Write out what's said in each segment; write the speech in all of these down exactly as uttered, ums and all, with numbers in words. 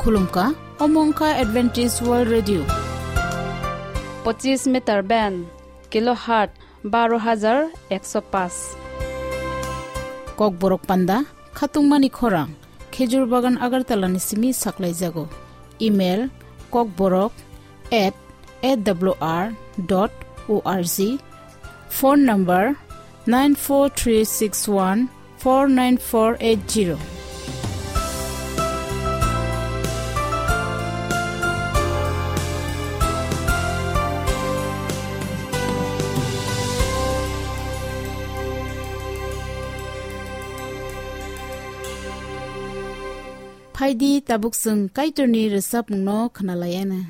Khulumkha, omo wngkha Adventist World Radio. Pochis meter band, kilohertz baro hajar ekso paanch. Kokborok panda, khatungmani khorang, Khejur Bagan Agartala ni simi saklaijago. Email, kokborok at A W R dot O R G. Phone number, nine four three six one four nine four eight zero. Phaidi, tabuk chwng Kaitorni rwchapmungno khwnalaiana.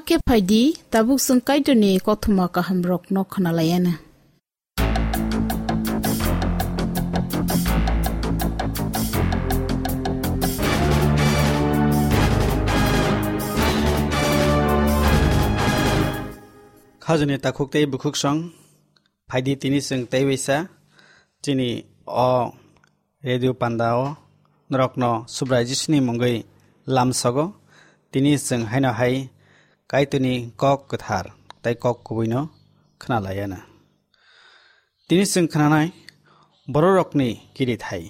Khe phai di, tabuk chwng Kaitorni kothoma kahamrokno khna lai anw. Khajani takhuk tei bukhuk song, phai di tini chwng tei waisa chini o radio panda o norokno Subrai Jisuni mungwi lamsogo. Tini chwng haino hai Kaitorni kok kwthar tei kok kubuino khna lai anw. Tini chwng khnanai bororokni kirithai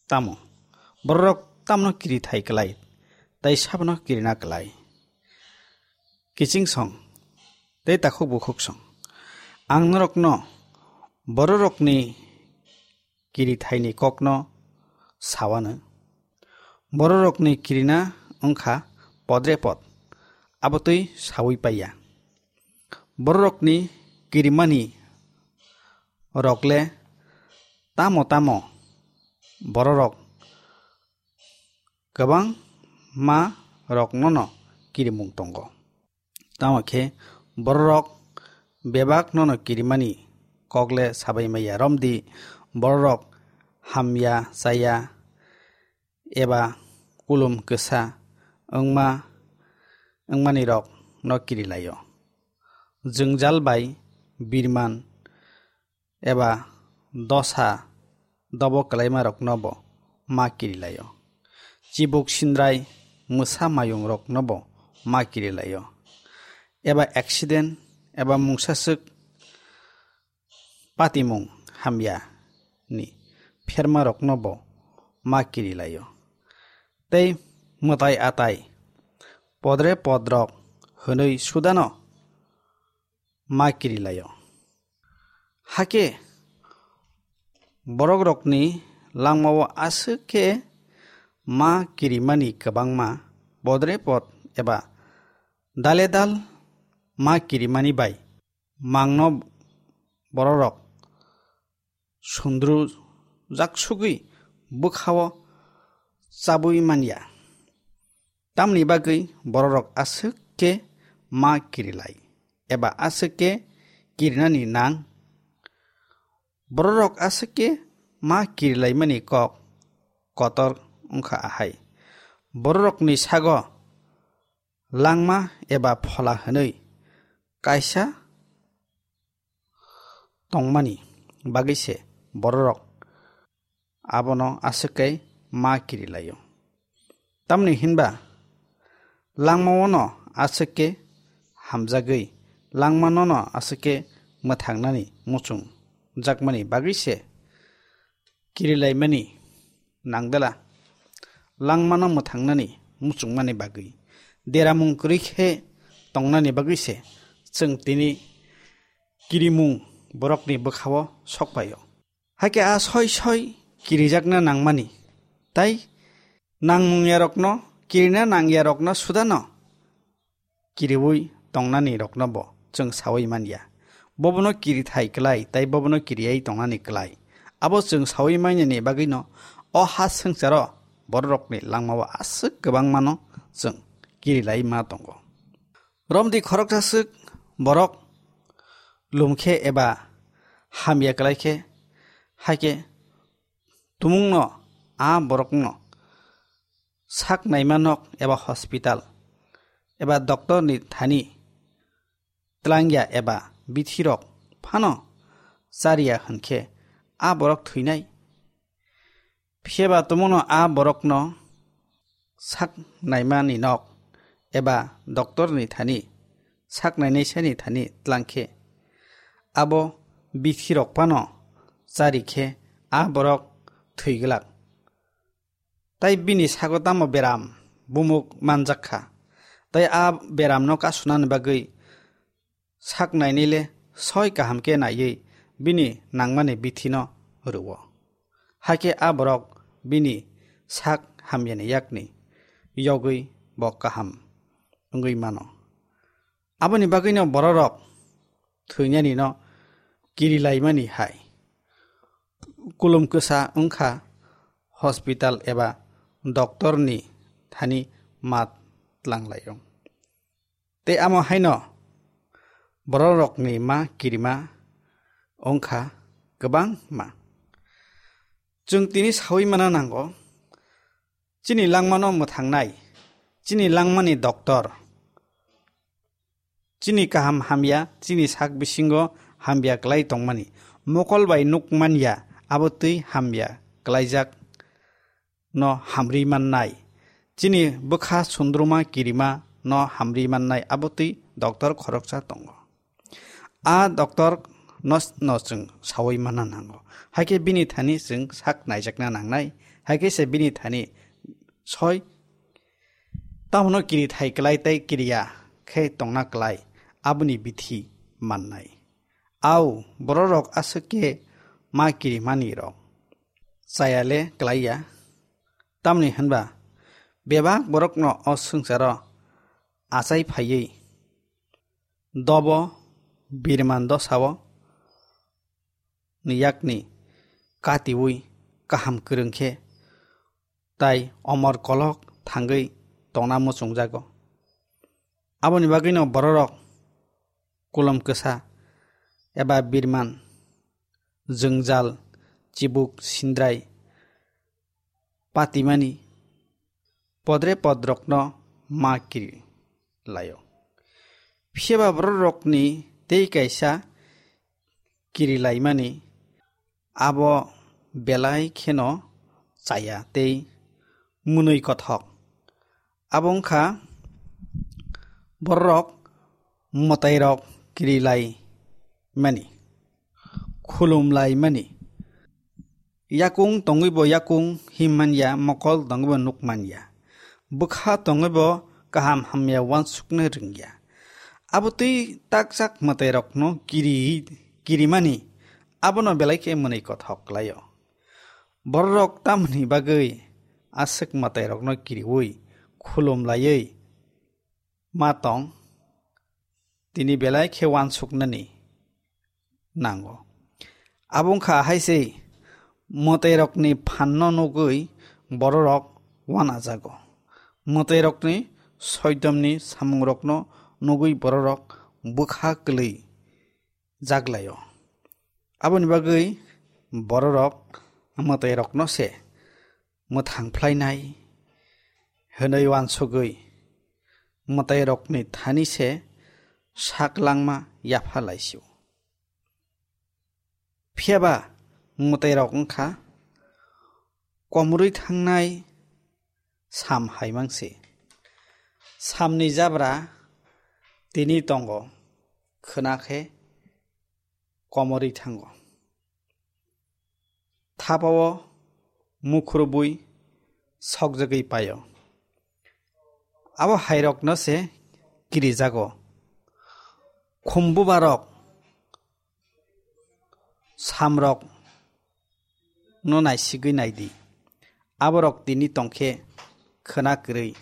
tamo? Bororok tamno kirithai klai tei sabono kirina klai? Kiching song tei takhuk bukhuk song. Ang norokno bororokni kirithaini kokno sawanw. Bororokni kirina wngkha podrepot, abotwi sawi paiya. Bororokni kirimani rokle tamo tamo bororok kwbangma roknono kirimung tongo. Tamo khe bororok bebak nono kirimani kokle sabai maya, romdi bororok hamya chaya eba kulum kwsa wngma, wngmani rok no kirilaio. Jwngjal bai birman eba dosa dobo kwlaimarokno bo ma kirilaio. Chibuk sindrai mwsa mayungrokno bo ma kirilaio. Eba accident eba mungsaswk patimung hamya ni phermarokno bo ma kirilaio. Tei mwtai atai podre podrok hwnwi sudano ma kirilaio. Hakhe borokrokni langmao aswk khe ma kirimani kwbangma podre pod eba dale dal ma kirimani bai mangno bororok sundru jaksugwi bwkhao chabwi manya. Tamni bagwi bororok aswk khe ma kirilai eba aswk khe kirinani nang? Bororok aswk khe ma kirilaimani kok kotor wngkha ahai. Bororokni sago langma eba phola hwnwi kaisa tongmani bagwi se bororok abono aswk khe ma kirilaio. Tamni hinba langmao no aswk khe hamjagwi, langmano no aswk khe mwthangnani muchung jakmani bagwi se kirilaimani nangdala. Langmano mwthangnani muchungmani bagwi, deramung kwrwi khe tongnani bagwi se chwng tini kirimung borokni bwkhao sok phaio. Hakhe a soi soi kirijakna nangmani, tai nangmung yarokno, kirina nang yarokno sudano kiriui tongnani rokno bo chwng saui man ya. Bobono kirithai klai, tai bobono kiriyai tongnani klai. Abo chwng saui manani bagwino o ha swngcharo bororokni langmao aswk kwbangmano chwng kirilai ma tongo. Romdi khoroksa swk borok lumkhe eba hamya klai khe, hai khe tumungno a borokno sak naima nok eba hospital eba doctor ni thani tlangya eba bithirok phano chariya hwnkhe a borok thwinai. Phiyaba tumungno a borokno sak naimani nok eba doctor ni thani sak nainaisani thani tlangkhe abo bithirok phano chari khe a borok thwi glak. Tai bini sago tamo beram bumuk manjak kha. Tai a beramno kasunani bagwi sak nainai le soi kaham khe naiwi bini nangmani bithino rwo. Hakhe a borok bini sak hamyani yakni yogwi bo kaham wngwi mano. Aboni bagwino bororok thwinani no kirilaimani hai kulum kwsa wngkha hospital eba doctor ni thani mat tlanglai-o. Tei amo haino bororokni ma kirima wngkha kwbangma. Chwng tini saui mana nango, chini langmano mwthangnai, chini langmani doctor, chini kaham hamya, chini sak bisingo hamya kwlai tongmani, mokol bai nuk manya, abo twi hamya kwlaijak no hamri mannai. Chini bwkha sundruma kirima no hamri mannai, abo twi doctor khoroksa tongo. A doctor no, no chwng saui manna nango. Haikhe bini thani chwng sak naijakna nangnai. Haikhe se bini thani soi tamono kiri thai kwlai tei kiriya khe tongna kwlai, aboni bithi mannai. Au, bororok aswk khe ma kirimani rok chaya le kwlaiya. Tamni hwnba bebak borokno o swngcharo achai phaiwi dobo birman dosao ni yakni katiui kaham kwrwng khe tai omor kolok thangwi tongna muchungjago. Aboni bagwino bororok kulom kwsa eba birman, jwngjal, chibuk, sindrai patimani podre podrokno ma kiri laio. Phiya ba bororokni tei kaisa kiri laimani abo belai kheno chaya tei mwnwi kothok. Abo wngkha bororok mwtairok kiri lai mani, khulum lai mani. Yakung tongwi bo yakung him manya, mokol tongwi bo nuk manya. Bwkha tongwi bo kaham hamya uansukna rwngya. Abo twi takjak mwtairokno kiri, kirimani abono belai khe mwnwi kothok klaio. Bororok tamoni bagwi aswk mwtairokno kiriui khulum laiwi ma tong, tini belai khe uansuknani nango. Abo wngkha hai se mwtairokni phanno nugwi bororok uanajago. Mwtairokni soidomni samungrokno nugwi bororok bwkha kwlwi jaglaio. Aboni bagwi bororok mwtairokno se mwthang phlainai hwnwi uansugwi mwtairokni thani se sak langma yapha laisio. Phiya ba mwtairok wngkha komorwi thangnai sam hai mangse. Samni jabra tini tongo, khwna khe komorwi thango. Thapao mukhurubwi sokjagwi paio. Abo hairokno se kirijago. Khumbubarok samrok no naisigwi naidi. Aborok tini tongkhe khwna kwrwi.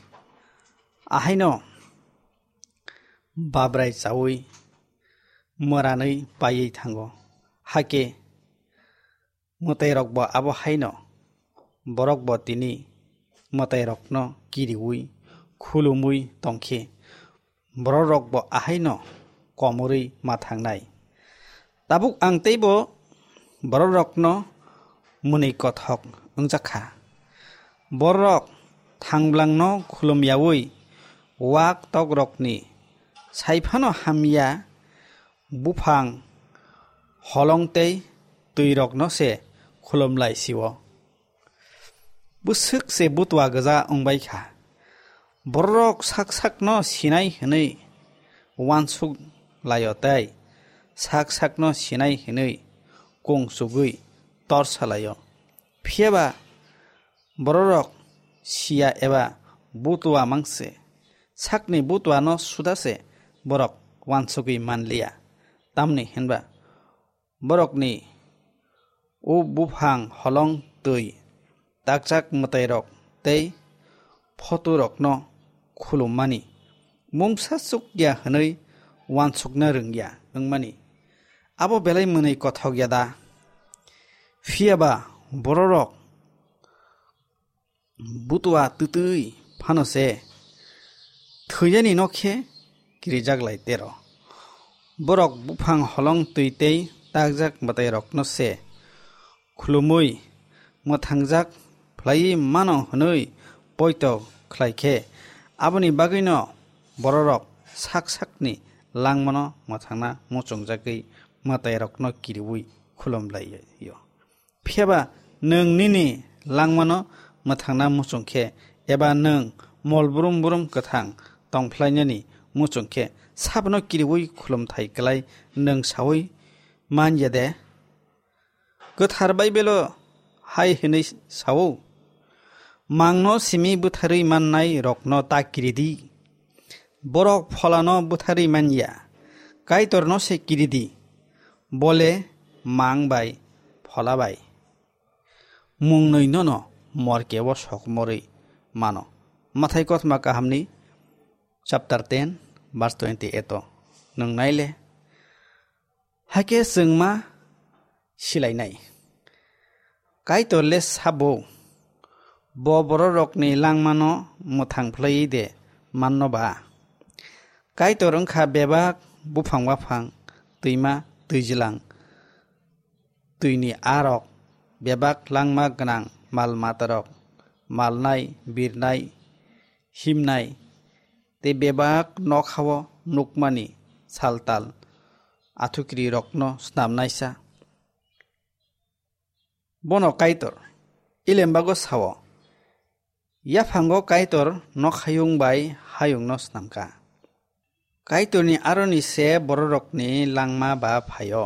Ahaino babrai chaui mwranwi paiwi thango. Hakhe mwtairokbo abo haino borokbo tini mwtairokno kiriui khulumui tongkhe bororokbo ahaino komorwi ma thangnai. Tabuk ang teibo bororokno mwnwi kothok wngjakha. Bororok thangblangno khulumyaui wak tokrokni saiphano hamya buphang holong tei twirokno se khulumlai sio. Bwswk se butwa gwja wngbai kha. Bororok sak sakno sinai hwnwi uansuk laio tei sak sakno sinai hwnwi kung chugwi tor salaio. Phiya ba bororok siya eba butwa mangse, sakni butwano suda se borok uansugwi manliya. Tamni hwnba borokni o buphang holong twi takjak mwtairok tei photorokno khulummani mungsa chukya hwnwi uansukna rwngya wngmani abo belai mwnwi kothok ya da? Phiya ba bororok butwa twtwi phano se thwiyani no khe kirijak lai tero. Borok buphang holong twi tei takjak mwtairokno se khulumwi mwthangjak phlaiwi mano hwnwi poito khlai khe, aboni bagwino bororok sak sakni langmano mwthangna muchungjagwi mwtairokno kiriui khulum lai-o. Phiya ba nwng nini langmano mwthangna muchung khe, eba nwng mol brum brum kwthang tong phlainani muchung khe, sabono kiriui khulumthai klai nwng saui man ya de? Kwthar Baibelo hai hwnwi sao, "Mangno simi butharwi mannai rokno ta kiri di. Borok pholano butharwi man ya, Kaitorno se kiri di, bole mang bai phola bai." Mungnwi nono morkeo sokmorwi mano. Mathai kothoma kahamni chapter ten, verse twenty eight o nwng naile. Hakhe chwng ma silainai. Kaitor le sabo, bo bororokni langmano mwthang phlaiwi de manno ba? Kaitor wngkha bebak buphang baphang, twima twijlang, twini arok, bebak langma gwnang mal matarok, malnai, birnai, himnai, tei bebak nokhao nukmani saltal athukiri rokno snamnaisa. Bono Kaitor Ilembago sao, "Yaphango Kaitor nokhayung bai hayungno snamkha." Kaitorni aroni se bororokni langma ba phaio.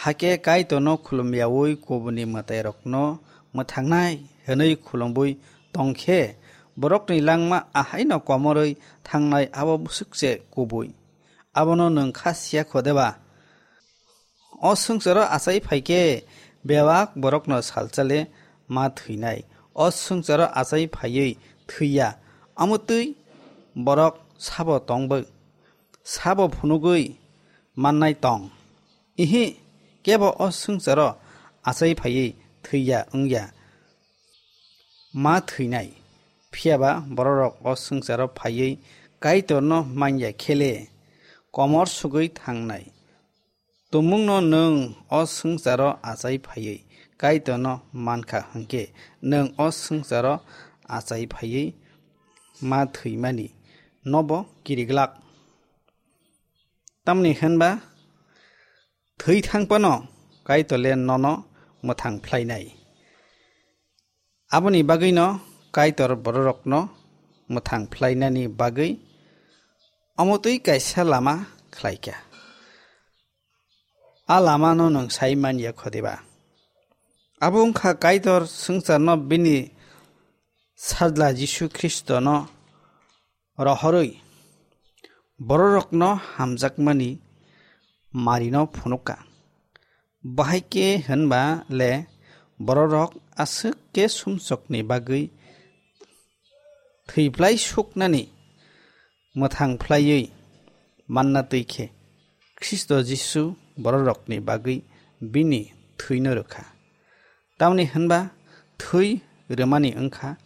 Hakhe Kaitorno khulumyaui kubuni mwtairokno mwthangnai hwnwi khulumwi tongkhe, borokni langma ahaino komorwi thangnai abo bwswk se kubui. Abono nwng kha siya kho deba? O swngcharo achai phai khe bebak borokno salchale ma thwinai. O swngcharo achai phaiwi thwiya, omo twi borok sabo tongbo, sabo phunugwi mannai tong? Ihi, kebo o swngcharo achai phaiwi thwiya wngya, ma thwinai. Phiya ba bororok o swngcharo phaiwi Kaitorno manya khe le komor sugwi thangnai. Tumungno nwng o swngcharo achai phaiwi Kaitorno mankha hwnkhe, nwng o swngcharo achai phaiwi ma thwimani nobo kiriglak. Tamni hwnba thwi thang phano Kaitor le nono mwthang phlainai. Aboni bagwino Kaitor bororokno mwthang phlainani bagwi omo twi kaisa lama khlaikha. A lamano nwng sai man ya kho diba? Abo wngkha Kaitor swngcharno bini Sajla Jisu Khristono rohorwi bororokno hamjakmani marino phunukha. Bahai khe hwnba le bororok aswk khe sumsokni bagwi thwiphlai suknani mwthang phlaiwi manna twi khe, Khristo Jisu bororokni bagwi bini thwino rwkha. Tamni hwnba thwi rwmani wngkha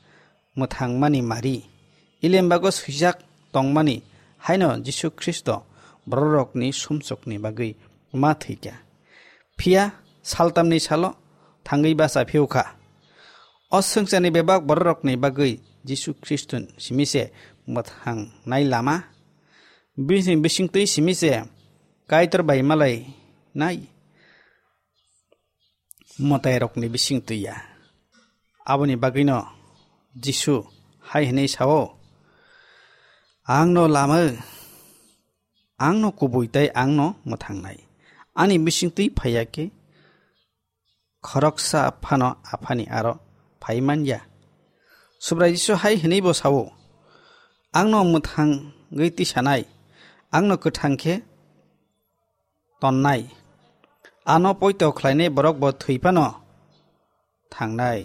mwthangmani mari, Ilembago swijak tongmani haino Jisu Khristo bororokni sumsokni bagwi ma thwikha. Phiya saltamni salo thangwi bacha phiyokha. O swngcharni bebak bororokni bagwi Jisu Khristo simi se mwthangnai lama. Bini bisingtwi simi se Kaitor bai malai nai mwtairokni bisingtwi ya. Aboni bagwino Jisu hai hwnwi sao, "Angno lama, angno kubui tei angno mwthangnai. Ani bisingtwi phaiya khe khoroksa phano Aphani aro phai man ya." Subrai Jisu hai hwnwi bo sao, "Angno mwthangwi tisanai, angno kwthang khe tonnai, ano poito khlainai borok bo thwi phano thangnai."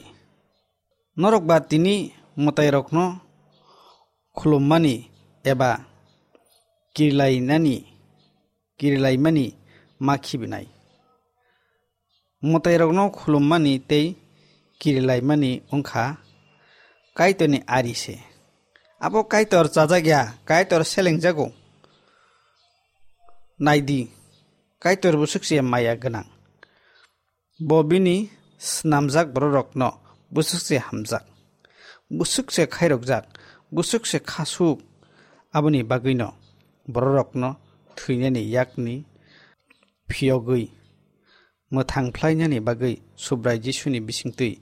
Norok ba tini mwtairokno khulummani eba kirilainani, kirilaimani ma khibinai. Mwtairokno khulummani tei kirilaimani wngkha Kaitorni ari se. Abo Kaitor chajak ya, Kaitor selengjago. Naidi, Kaitor bwswk se maya gwnang. Bo bini snamjak bororokno bwswk se hamjak, bwswk se khairokjak, bwswk se khasuk. Aboni bagwino bororokno thwinani yakni phiyogwi mwthang phlainani bagwi Subrai Jisuni bisingtwi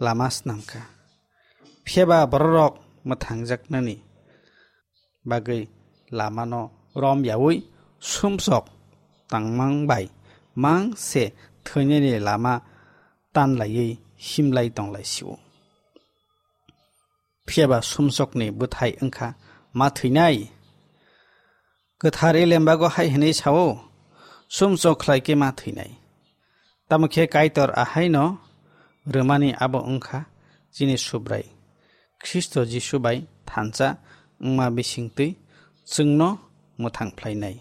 lama snamkha. Phiyaba bororok mwthangjaknani bagwi lamano rom yaui sumsok tangmang bai mang se thwinani lama tanlaiwi himlai tonglaisio. Phiyaba sumsokni bwthai wngkha ma thwinai. Kwthar Elembago hai hwnwi sao, sumsok khlai khe ma thwinai. Tamo khe Kaitor ahaino rwmani abo wngkha chini Subrai Khristo Jisu bai thansa wngma bisingtwi chwngno mwthang phlainai.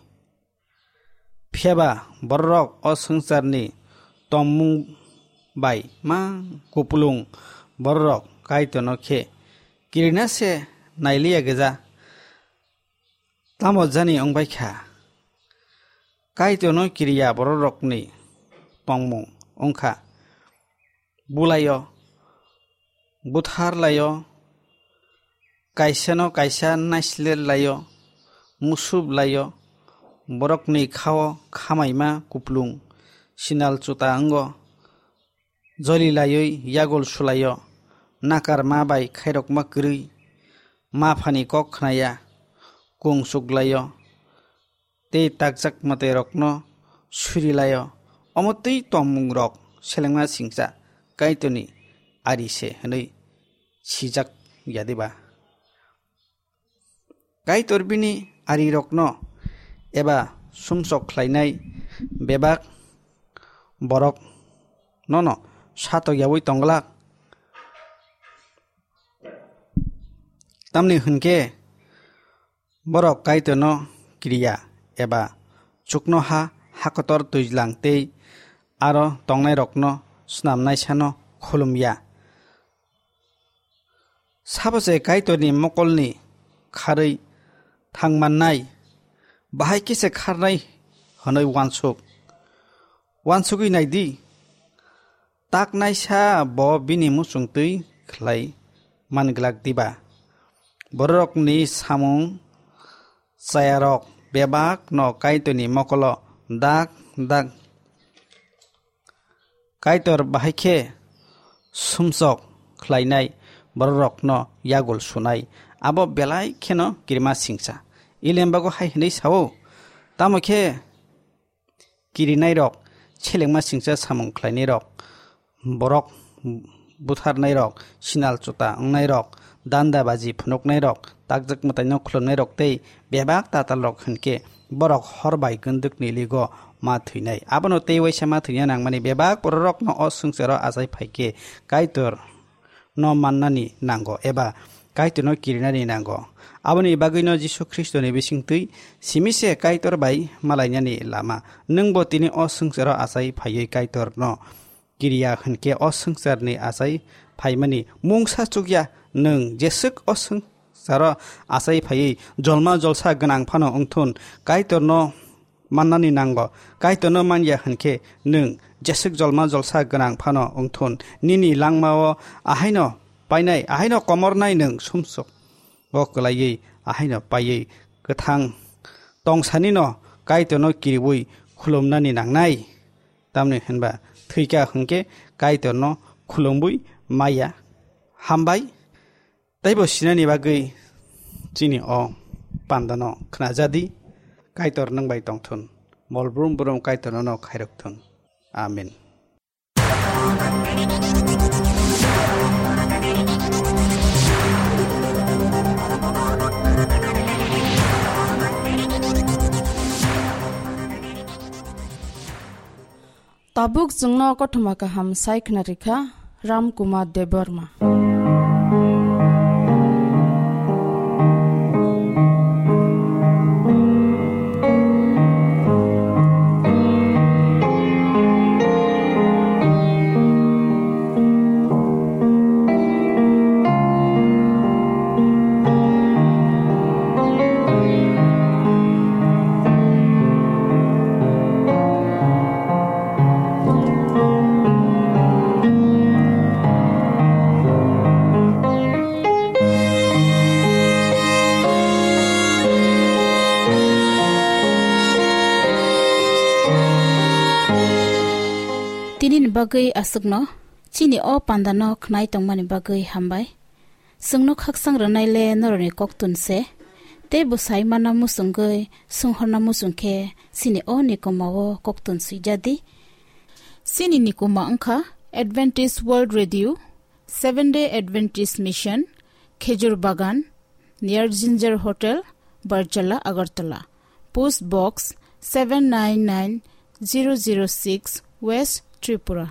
Phiyaba bororok o swngcharni tongmung bai ma kupulung bororok Kaitorno khe kirina se nailiya gwja. Tamo jani wngbai kha? Kaitorno kiriya bororokni tongmung wngkha bulaio, butharlaio, kaisano kaisa naisler laio, musup laio, borokni khao khamaima kuplung, sinal chuta wngo, joli laiwi yagul sulaio, nakar ma bai khairokma kwrwi, ma phani kok khnaya, kung chuklaio, tei takjak mwtairokno surilaio. Omo twi tongmungrok selengma singcha Kaitorni ari se hwnwi sijak ya diba? Kaitor bini arirokno eba sumsok khlainai bebak borok nono satok yaui tongglak. Tamni hwnkhe borok Kaitorno kiriya eba chuknoha, hakotor, twijlang tei aro tongnairokno snamnaisano khulumya. Sabo se Kaitorni mokolni kharwi thangmannai, bahai khe se kharnai hwnwi uansuk. Uansugwi naidi, taknaisa bo bini muchungtwi khlai manglak diba? Bororokni samung chayarok bebakno Kaitorni mokolo dak dak Kaitor bahai khe sumsok khlainai bororokno yagul sunai, abo belai kheno kirima singcha. Elembago hai hwnwi sao, tamo khe kirinairok, selengma singcha samung khlainairok, borok butharnairok, sinal chuta wngnairok, danda baji phunuknairok, takjak mwtaino khulumnairok tei bebak tatalrok hwnkhe borok hor bai gwndwkni ligo ma thwinai. Abono tei waisa ma thwina nangmani bebak bororokno o swngcharo achai phai khe Kaitor no mannani nango eba Kaitorno kirinani nango. Aboni bagwino Jisu Khristoni bisingtwi simi se Kaitor bai malainani lama. Nwngbo tini o swngcharo achai phaiwi Kaitorno kiriya hwnkhe o swngcharni achai phaimani mungsa chukya. Nwng jeswk o swngcharo achai phaiwi jolma jolsa gwnang phano wngthun, Kaitorno mannani nango. Kaitorno manya hwnkhe nwng jeswk jolma jolsa gwnang phano wngthun. Nini langmao ahaino painai, ahaino komornai nwng sumsok o kwlaiwi, ahaino paiwi kwthang tongsanino Kaitorno kiriwi khulumnani nangnai. Tamni hwnba thwikha hwnkhe Kaitorno khulumwi maya. Hambai. Teibo sinani bagwi chini o pandano khnajadi. Kaitor nwng bai tongthun. Mol brum brum Kaitor nono khairokthun. Amen. Tabuk chwngno kothoma kaham sai khna rikha Ram Kumar Debbarma. Bagwi aswkno chini o pandano khnai tongmani bagwi hambai. Chwngno khaksang rwnaile norokni koktun se. Tei bwsai mana muchungwi swnghorna muchung khe chini o nikomao koktun swijadi. Chini nikoma wngkha Adventist World Radio, Seven Day Adventist Mission, Khejur Bagan, near Ginger Hotel, Barjala, Agartala. Post Box seven nine nine zero zero six, West Tripura.